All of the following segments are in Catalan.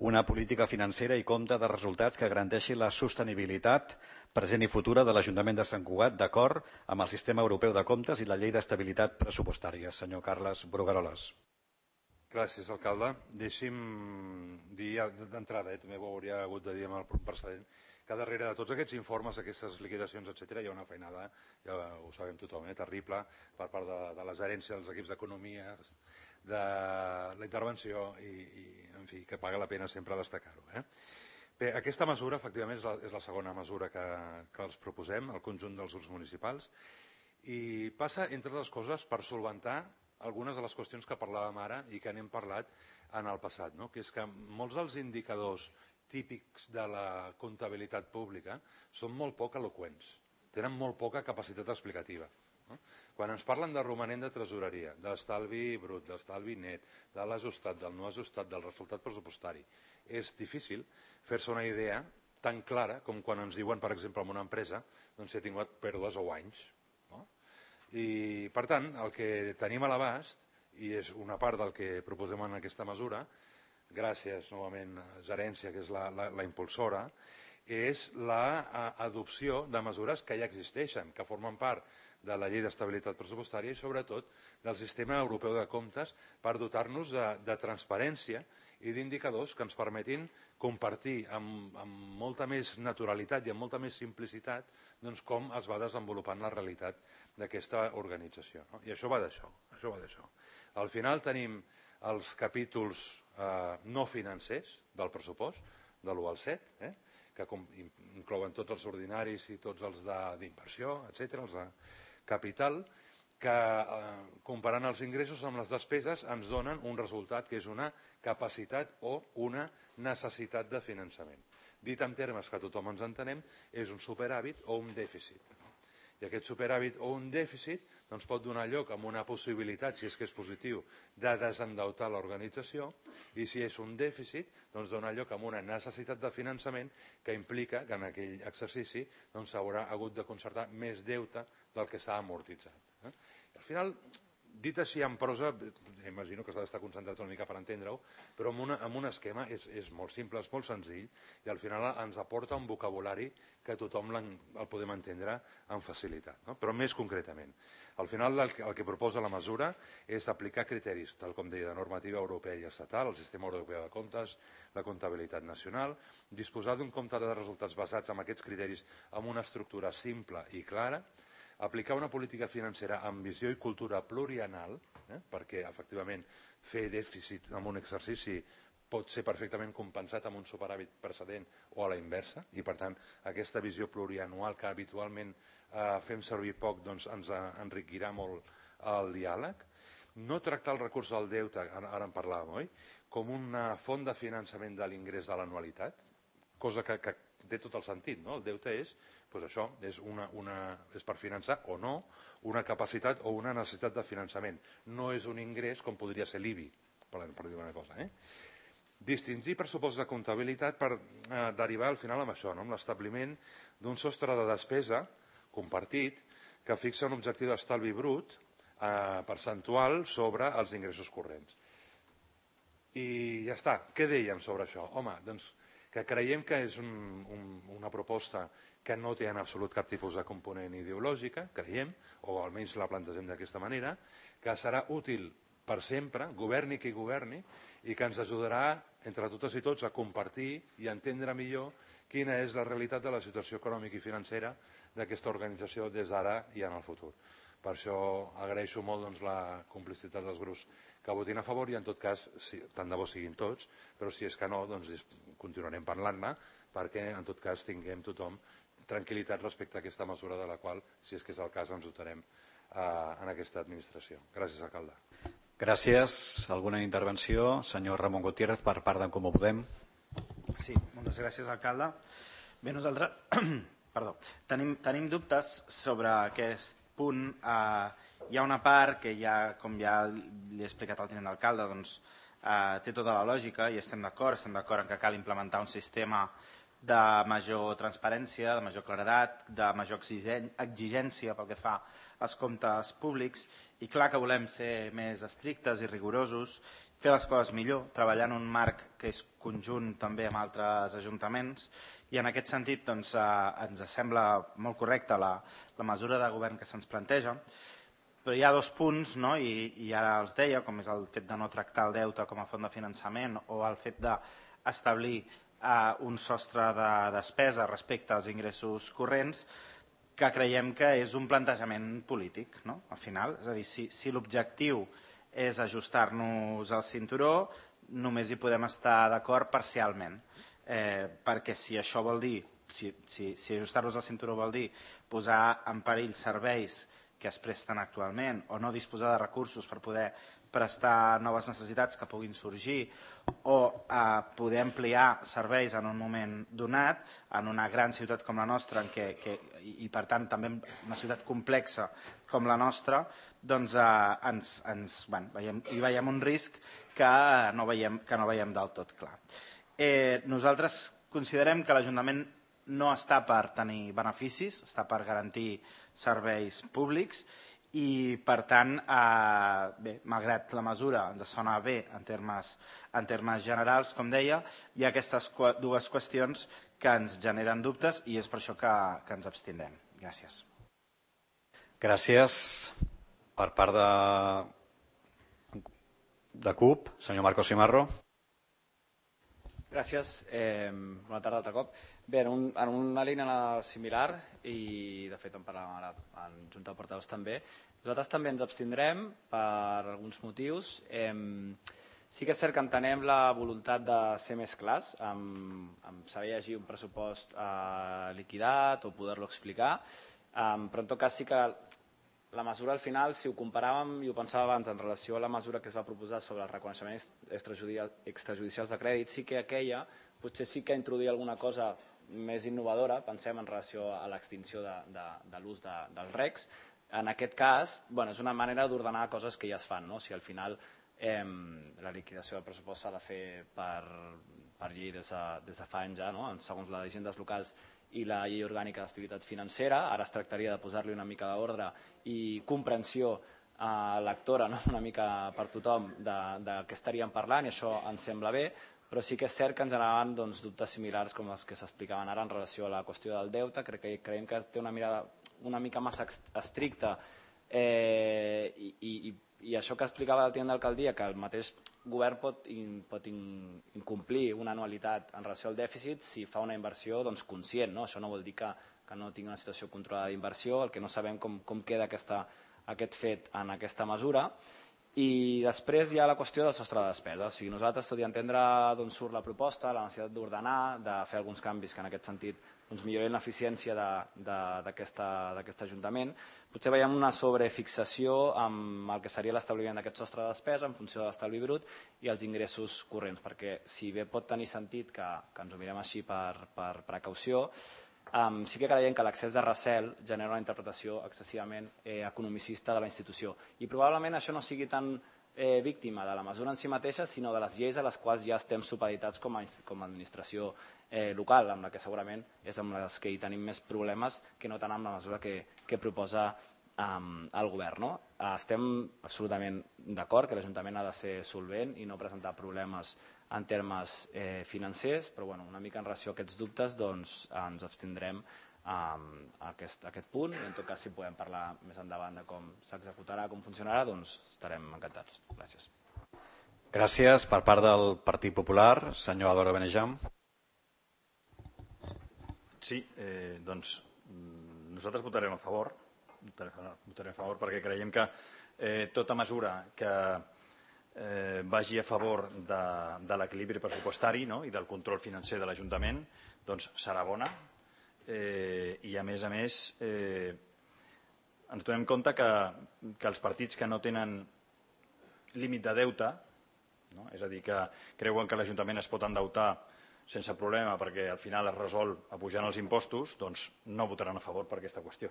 una política financera i compte de resultats que garanteixi la sostenibilitat present i futura de l'Ajuntament de Sant Cugat d'acord amb el Sistema Europeu de Comptes i la Llei d'Estabilitat Pressupostària. Senyor Carles Brugueroles. Gràcies, alcalde. Deixi'm dir d'entrada, també ho hauria hagut de dir amb el precedent, que darrere de tots aquests informes, aquestes liquidacions, etc., hi ha una feinada, ja ho sabem tothom, terrible, per part de les herències dels equips d'economia, de la intervenció i, en fi, que paga la pena sempre destacar-ho. Bé, aquesta mesura, efectivament, és la segona mesura que els proposem, al conjunt dels grups municipals, i passa, entre altres coses, per solventar algunes de les qüestions que parlàvem ara i que n'hem parlat en el passat, que és que molts dels indicadors típics de la comptabilitat pública són molt poc eloqüents, tenen molt poca capacitat explicativa. Quan ens parlen de romanent de tresoreria, d'estalvi brut, d'estalvi net, de l'ajustat, del no ajustat, del resultat pressupostari, és difícil fer-se una idea tan clara com quan ens diuen, per exemple, en una empresa si ha tingut pèrdues o guanys. I, per tant, el que tenim a l'abast, i és una part del que proposem en aquesta mesura, gràcies novament a Gerència, que és la impulsora, és l'adopció de mesures que ja existeixen, que formen part de la Llei d'Estabilitat Pressupostària i, sobretot, del Sistema Europeu de Comptes per dotar-nos de transparència i d'indicadors que ens permetin compartir amb molta més naturalitat i amb molta més simplicitat com es va desenvolupant la realitat d'aquesta organització. I això va d'això. Al final tenim els capítols no financers del pressupost, de l'1 al 7, que inclouen tots els ordinaris i tots els d'inversió, etc., els de capital, que comparant els ingressos amb les despeses ens donen un resultat que és una capacitat o una necessitat de finançament. Dit en termes que tothom ens entenem, és un superàvit o un dèficit. I aquest superàvit o un dèficit pot donar lloc a una possibilitat, si és que és positiu, de desendeutar l'organització, i si és un dèficit, dona lloc a una necessitat de finançament que implica que en aquell exercici s'haurà hagut de concertar més deute del que s'ha amortitzat. Al final, dit així en prosa, imagino que s'ha d'estar concentrat una mica per entendre-ho, però amb un esquema és molt simple, és molt senzill, i al final ens aporta un vocabulari que tothom el podem entendre amb facilitat. Però més concretament, al final el que proposa la mesura és aplicar criteris, tal com deia, de normativa europea i estatal, el Sistema Europeu de Comptes, la comptabilitat nacional, disposar d'un compte de resultats basats en aquests criteris amb una estructura simple i clara, aplicar una política financera amb visió i cultura plurianual, perquè efectivament fer dèficit en un exercici pot ser perfectament compensat amb un superàvit precedent o a la inversa, i per tant aquesta visió plurianual que habitualment fem servir poc ens enriquirà molt el diàleg. No tractar el recurs al deute, ara en parlàvem, oi?, com una font de finançament de l'ingrés de l'anualitat, cosa que té tot el sentit, no? El deute és això, és per finançar o no una capacitat o una necessitat de finançament. No és un ingrés com podria ser l'IBI, per dir una cosa. Distingir pressupost de comptabilitat per derivar al final amb això, amb l'establiment d'un sostre de despesa compartit que fixa un objectiu d'estalvi brut percentual sobre els ingressos corrents. I ja està. Què dèiem sobre això? Home, doncs que creiem que és una proposta que no té en absolut cap tipus de component ideològica, creiem, o almenys la plantegem d'aquesta manera, que serà útil per sempre, governi qui governi, i que ens ajudarà, entre totes i tots, a compartir i a entendre millor quina és la realitat de la situació econòmica i financera d'aquesta organització des d'ara i en el futur. Per això agraeixo molt la complicitat dels grups que votin a favor i, en tot cas, tant de bo siguin tots, però si és que no, doncs continuarem parlant-ne perquè, en tot cas, tinguem tothom tranquil·litat respecte a aquesta mesura de la qual, si és que és el cas, ens dotarem en aquesta administració. Gràcies, alcalde. Gràcies. Alguna intervenció? Senyor Ramon Gutiérrez, per part d'en Comú Podem. Sí, moltes gràcies, alcalde. Bé, nosaltres tenim dubtes sobre aquest punt. Hi ha una part que, com ja li he explicat al tinent d'alcalde, té tota la lògica i estem d'acord en que cal implementar un sistema de major transparència, de major claredat, de major exigència pel que fa als comptes públics, i clar que volem ser més estrictes i rigorosos fer les coses millor, treballar en un marc que és conjunt també amb altres ajuntaments, i en aquest sentit doncs, ens sembla molt correcta la mesura de govern que se'ns planteja, però hi ha dos punts, no? I ara els deia, com és el fet de no tractar el deute com a font de finançament o el fet d'establir un sostre de despesa respecte als ingressos corrents, que creiem que és un plantejament polític, no? Al final, és a dir, si l'objectiu és ajustar-nos al cinturó, només hi podem estar d'acord parcialment, perquè si això vol dir, si ajustar-nos al cinturó vol dir posar en perill serveis que es presten actualment o no disposar de recursos per poder prestar noves necessitats que puguin sorgir o poder ampliar serveis en un moment donat en una gran ciutat com la nostra i per tant també una ciutat complexa com la nostra, doncs hi veiem un risc que no veiem del tot clar. Nosaltres considerem que l'Ajuntament no està per tenir beneficis, està per garantir serveis públics i, per tant, malgrat la mesura ens sona bé en termes generals, com deia, hi ha aquestes dues qüestions que ens generen dubtes i és per això que ens abstindrem. Gràcies. Gràcies. Per part de CUP, senyor Marcos Simarro. Gràcies. Bona tarda altre cop. Bé, en una línia similar, i de fet en parlàvem ara en Junta de Portaveus també, nosaltres també ens abstindrem per alguns motius. Sí que és cert que entenem la voluntat de ser més clars, amb saber llegir un pressupost liquidat o poder-lo explicar, però en tot cas sí que la mesura al final, si ho comparàvem, i ho pensava abans en relació a la mesura que es va proposar sobre els reconeixements extrajudicials de crèdit, sí que aquella potser sí que introduïa alguna cosa més innovadora, pensem en relació a l'extinció de l'ús dels RECs. En aquest cas, és una manera d'ordenar coses que ja es fan. Si al final la liquidació del pressupost s'ha de fer per llei des de fa anys ja, segons les hisendes locals i la llei orgànica d'activitat financera, ara es tractaria de posar-li una mica d'ordre i comprensió lectora, una mica per tothom, de què estaríem parlant, i això ens sembla bé, però sí que és cert que ens generaven dubtes similars com els que s'explicaven ara en relació a la qüestió del deute. Creiem que té una mirada una mica massa estricta i això que explicava el tinent d'alcaldia, que el mateix govern pot incomplir una anualitat en relació al dèficit si fa una inversió conscient. Això no vol dir que no tingui una situació controlada d'inversió, el que no sabem com queda aquest fet en aquesta mesura. I després hi ha la qüestió del sostre de despesa. Nosaltres, tot i entendre d'on surt la proposta, la necessitat d'ordenar, de fer alguns canvis que en aquest sentit millorin l'eficiència d'aquest Ajuntament, potser veiem una sobrefixació amb el que seria l'establiment d'aquest sostre de despesa en funció de l'estalvi brut i els ingressos corrents, perquè si bé pot tenir sentit que ens ho mirem així per precaució, sí que creiem que l'excés de recel genera una interpretació excessivament economicista de la institució i probablement això no sigui tan víctima de la mesura en si mateixa, sinó de les lleis a les quals ja estem supeditats com a administració local, amb la que segurament és amb les que hi tenim més problemes que no tant amb la mesura que proposa el govern. Estem absolutament d'acord que l'Ajuntament ha de ser solvent i no presentar problemes en termes financers, però una mica en relació a aquests dubtes ens abstindrem a aquest punt i en tot cas si podem parlar més endavant de com s'executarà, com funcionarà, doncs estarem encantats. Gràcies. Gràcies. Per part del Partit Popular, senyor Álvaro Benejam. Sí, doncs nosaltres votarem a favor perquè creiem que tota mesura que vagi a favor de l'equilibri pressupostari i del control financer de l'Ajuntament doncs serà bona i a més ens donem compte que els partits que no tenen límit de deute, és a dir, que creuen que l'Ajuntament es pot endeutar sense problema perquè al final es resol apujant els impostos, doncs no votaran a favor per aquesta qüestió,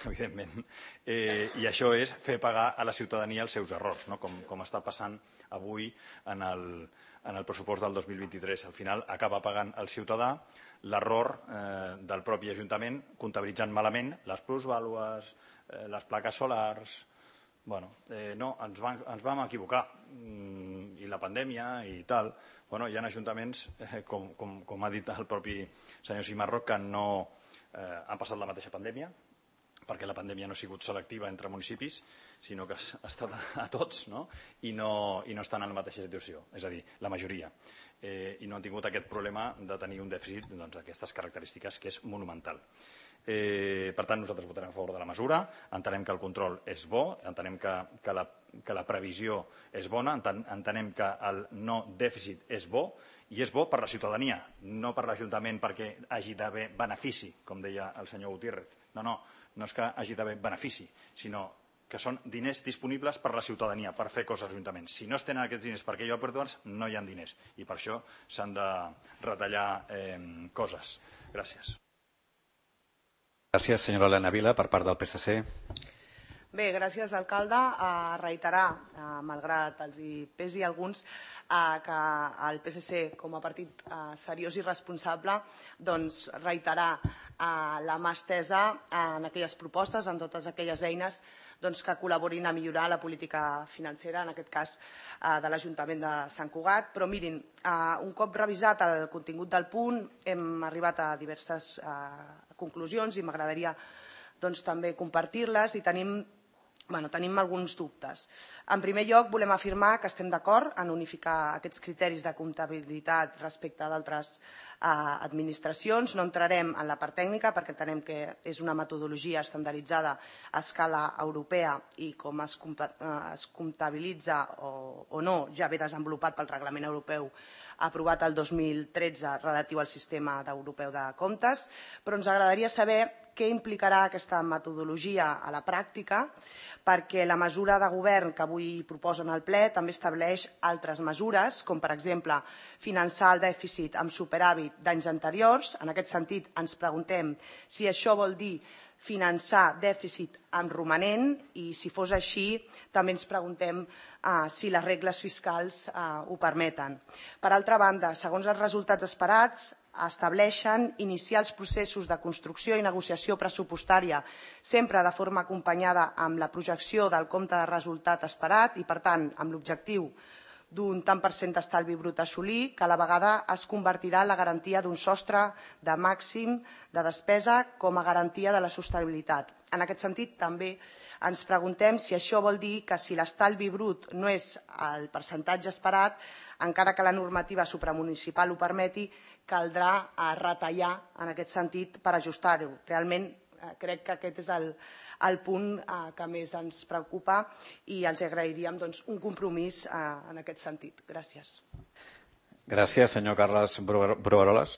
evidentment. I això és fer pagar a la ciutadania els seus errors, com està passant avui en el pressupost del 2023. Al final acaba pagant el ciutadà l'error del propi Ajuntament comptabilitzant malament les plusvàlues, les plaques solars. No, ens vam equivocar i la pandèmia i tal, hi ha ajuntaments, com ha dit el propi senyor Cimarroc, que no han passat la mateixa pandèmia, perquè la pandèmia no ha sigut selectiva entre municipis, sinó que ha estat a tots, i no estan en la mateixa situació, és a dir, la majoria. I no han tingut aquest problema de tenir un dèficit d'aquestes característiques, que és monumental. Per tant, nosaltres votarem a favor de la mesura, entenem que el control és bo, entenem que la previsió és bona, entenem que el no dèficit és bo, i és bo per la ciutadania, no per l'Ajuntament perquè hagi d'haver benefici, com deia el senyor Gutiérrez. No és que hagi d'haver benefici, sinó que són diners disponibles per a la ciutadania, per fer coses als ajuntaments. Si no es tenen aquests diners per aquell oportuns, no hi ha diners. I per això s'han de retallar coses. Gràcies. Gràcies, senyora Elena Vila, per part del PSC. Bé, gràcies, alcalde. Reiterar, malgrat els hi pesi a alguns, que el PSC, com a partit seriós i responsable, doncs reiterar la mà estesa en aquelles propostes, en totes aquelles eines que col·laborin a millorar la política financera, en aquest cas de l'Ajuntament de Sant Cugat. Però mirin, un cop revisat el contingut del punt, hem arribat a diverses conclusions i m'agradaria també compartir-les i tenim alguns dubtes. En primer lloc, volem afirmar que estem d'acord en unificar aquests criteris de comptabilitat respecte a d'altres administracions. No entrarem en la part tècnica perquè entenem que és una metodologia estandarditzada a escala europea i com es comptabilitza o no ja ve desenvolupat pel Reglament Europeu aprovat el 2013 relatiu al sistema europeu de comptes, però ens agradaria saber què implicarà aquesta metodologia a la pràctica, perquè la mesura de govern que avui proposen al ple també estableix altres mesures, com per exemple finançar el dèficit amb superàvit d'anys anteriors. En aquest sentit, ens preguntem si això vol dir finançar dèficit amb romanent i, si fos així, també ens preguntem si les regles fiscals ho permeten. Per altra banda, segons els resultats esperats, estableixen iniciar els processos de construcció i negociació pressupostària sempre de forma acompanyada amb la projecció del compte de resultat esperat i, per tant, amb l'objectiu d'un tant per cent d'estalvi brut a assolir, que a la vegada es convertirà en la garantia d'un sostre de màxim de despesa com a garantia de la sostenibilitat. En aquest sentit, també ens preguntem si això vol dir que si l'estalvi brut no és el percentatge esperat, encara que la normativa supramunicipal ho permeti, caldrà retallar en aquest sentit per ajustar-ho. Realment crec que aquest és el punt que més ens preocupa i els agrairíem un compromís en aquest sentit. Gràcies. Gràcies, senyor Carles Brugueroles.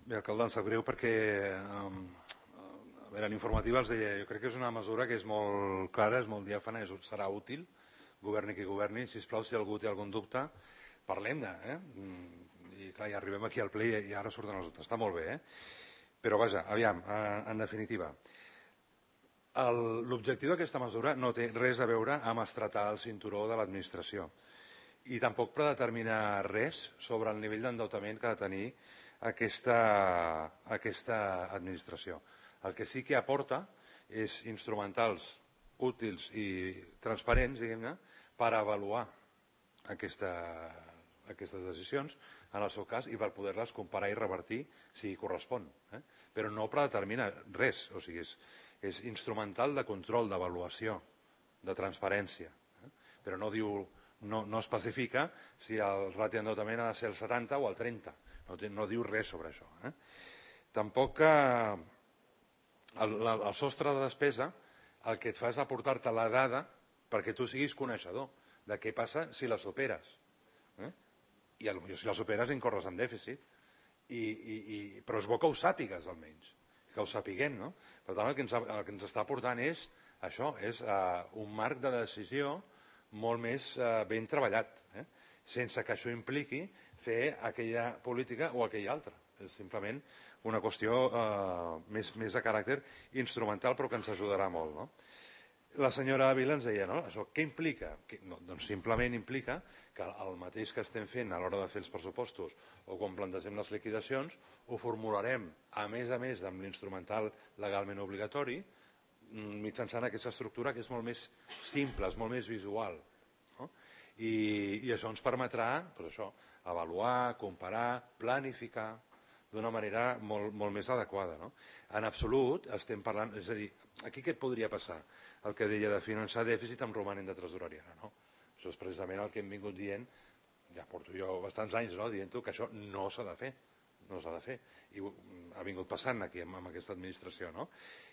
Bé, alcalde, em sap greu perquè en informativa els deia, jo crec que és una mesura que és molt clara, és molt diàfana, serà útil, governi qui governi. Sisplau, si algú té algun dubte, parlem-ne. I clar, ja arribem aquí al ple i ara surten els dubtes. Està molt bé, Però vaja, aviam, en definitiva, l'objectiu d'aquesta mesura no té res a veure amb estretar el cinturó de l'administració i tampoc predeterminar res sobre el nivell d'endeutament que ha de tenir aquesta administració. El que sí que aporta és instrumentals útils i transparents, diguem-ne, per avaluar aquestes decisions, en el seu cas, i per poder-les comparar i revertir si correspon. Però no predetermina res, o sigui, és instrumental de control, d'avaluació, de transparència. Però no especifica si el ràtio d'endeutament ha de ser el 70 o el 30. No diu res sobre això. Tampoc el sostre de despesa el que et fa és aportar-te la dada perquè tu siguis coneixedor de què passa si la superes. I si la superes incorres en dèficit. Però és bo que ho sàpigues, almenys. Que ho sapiguem, no? Per tant, el que ens està aportant és això, és un marc de decisió molt més ben treballat, sense que això impliqui fer aquella política o aquella altra. És simplement una qüestió més de caràcter instrumental, però que ens ajudarà molt, no? La senyora Vila ens deia, no? Això què implica? Doncs simplement implica que el mateix que estem fent a l'hora de fer els pressupostos o quan plantegem les liquidacions, ho formularem, a més amb l'instrumental legalment obligatori, mitjançant aquesta estructura que és molt més simple, és molt més visual. I això ens permetrà avaluar, comparar, planificar d'una manera molt més adequada. En absolut estem parlant, és a dir, aquí què et podria passar? El que deia de finançar dèficit amb romanent de tresoreria. Això és precisament el que hem vingut dient, ja porto jo bastants anys dient-ho, que això no s'ha de fer. No s'ha de fer. I ha vingut passant aquí amb aquesta administració, no?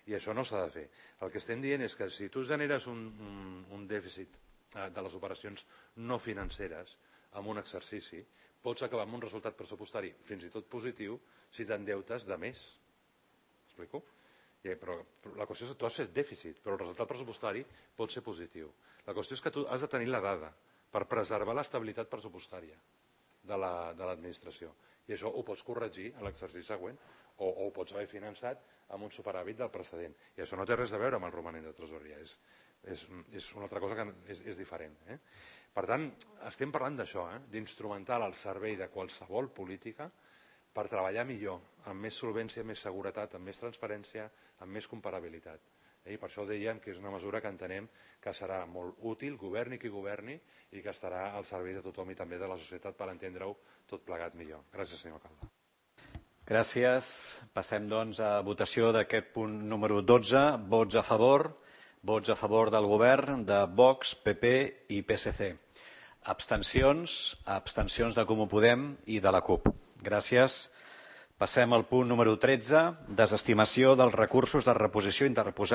I això no s'ha de fer. El que estem dient és que si tu generes un dèficit de les operacions no financeres en un exercici, pots acabar amb un resultat pressupostari fins i tot positiu si t'endeutes de més. Explico? Però la qüestió és que tu has fet dèficit, però el resultat pressupostari pot ser positiu. La qüestió és que tu has de tenir la dada per preservar l'estabilitat pressupostària de l'administració. I això ho pots corregir a l'exercici següent o ho pots haver finançat amb un superàvit del precedent. I això no té res a veure amb el romanent de tresoreria. És una altra cosa que és diferent. Per tant, estem parlant d'això, d'instrumental al servei de qualsevol política per treballar millor, amb més solvència, més seguretat, amb més transparència, amb més comparabilitat. I per això dèiem que és una mesura que entenem que serà molt útil, governi qui governi, i que estarà al servei de tothom i també de la societat per entendre-ho tot plegat millor. Gràcies, senyor alcalde. Gràcies. Passem, doncs, a votació d'aquest punt número 12. Vots a favor del govern de Vox, PP i PSC. Abstencions de Comú Podem i de la CUP. Gràcies. Passem al punt número 13, desestimació dels recursos de reposició interposats